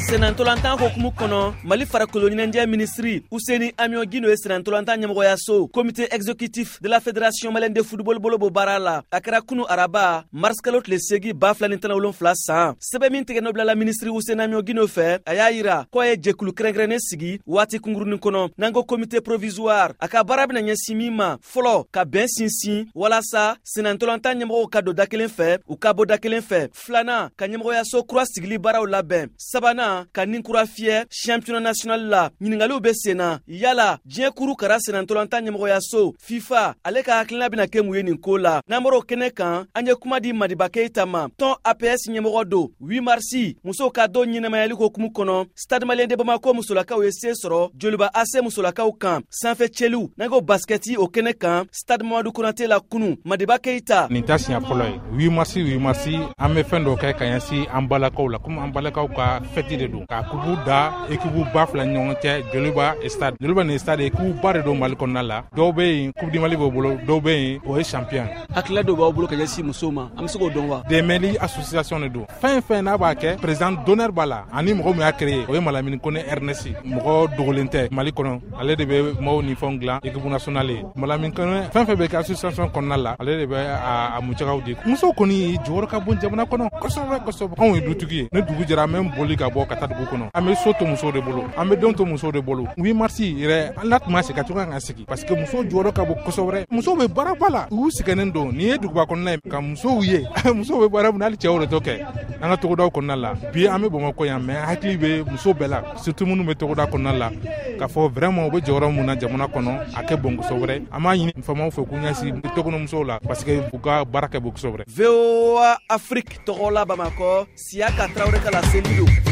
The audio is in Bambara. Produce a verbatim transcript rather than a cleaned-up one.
Senantolantan hokumu kɔnɔ, Mali farikolo ɲɛnajɛ minisiri Useni Amion Guindo ye senantolantan ɲɛmɔgɔyaso, Comité exécutif de la Fédération malienne de football, bolo bɔ baara la. A kɛra kunu araba, marisikalo tile segi ba fila ni tan wolonfila san. Sɛbɛn min tigɛ nɔ bilala minisiri Useni Amion Guindo fɛ, a y'a yira ko a ye jɛkulu kɛrɛnkɛrɛnnen sigi waati kunkurunin kɔnɔ, n'an ko comité provisoire. A ka baara bɛna ɲɛsin min ma: fɔlɔ, ka bɛn sinsin walasa senantolantan ɲɛmɔgɔw ka don da kelen fɛ, u ka bɔ da kelen fɛ; filanan, ka ɲɛmɔgɔyaso kura sigili baaraw labɛn; sabanan, ka nin kura fiyɛ championnat national la. Ɲiningaliw be sen na: yala diɲɛ kuru kara senantolantan ɲɛmɔgɔyaso FIFA, ale ka hakilina bena kɛ mun ye nin ko la? N'an bɔr'o kɛnɛ kan, an ye kuma di Madiba Keyita ma, tɔn A P S ɲɛmɔgɔ don. huit marsi, musow ka don ɲɛnɛmayali hokumu kɔnɔ, Stade Malien de Bamako musolakaw ye se sɔrɔ Joliba A C musolakaw kan sanfɛ cɛliw, n'an ko baskɛti, o kɛnɛ kan Stade Mamadu Konate la kunu. Madiba Keyita. Nin ta siɲɛ fɔlɔ ye. huit marsi, huit marsi, an bɛ fɛn dɔ kɛ ka ɲɛsin an balakaw la, komi an balakaw ka fɛti de don, ka kupu da ekipu ba fila ni ɲɔgɔn cɛ, Joliba, Stade. Joliba ni Stade, ekipu ba de don Mali kɔnɔna la. Dɔw bɛ yen, Coupe du Mali b'o bolo, dɔw bɛ yen, o ye champion. Hakilila dɔw b'aw bolo ka ɲɛsin musow ma, an bɛ se k'o dɔn wa? Dɛmɛli association de don. Fɛn fɛn n'a b'a kɛ, président d'honneur b'a la, ani mɔgɔ min y'a créé, o ye Malamine Kone Ernest. Mɔgɔ dogolen tɛ Mali kɔnɔ, ale de bɛ maaw ni fɛnw dilan équipe nationale ye. Malamine Kone, fɛn fɛn bɛ kɛ association kɔnɔna la, ale de bɛ a musakaw di. Musow kɔni jɔyɔrɔ ka bon jamana kɔnɔ kosɛbɛ kosɛbɛ. Anw ye dutigi ye, ni dugu jɛra, an bɛ boli ka bɔ ka taa dugu kɔnɔ, an bɛ so to musow de bolo, an bɛ denw to musow de bolo. huit mars yɛrɛ, an na tun ma sigi ka cogoya ka sigi, parce que musow jɔyɔrɔ ka bon kosɛbɛ. Musow bɛ baaraba la, u sɛgɛnnen don. Nin ye duguba kɔnɔna ye, ka musow ye, musow bɛ baara min na, hali cɛw de t'o kɛ an ka togodaw kɔnɔna la. Bi an bɛ Bamakɔ yan, mais hakili bɛ muso bɛɛ la, surtout minnu bɛ togoda kɔnɔna la, k'a fɔ vraiment u bɛ jɔyɔrɔ mun na jamana kɔnɔ, a kɛ bon kosɛbɛ. An b'a ɲini faamaw fɛ k'u ɲɛsin tɔgɔnɔmusow la, parce que u ka baara kɛ bon kosɛbɛ. V O A Afrique tɔgɔ la, Bamakɔ, Siyaka Tarawele ka laseli don.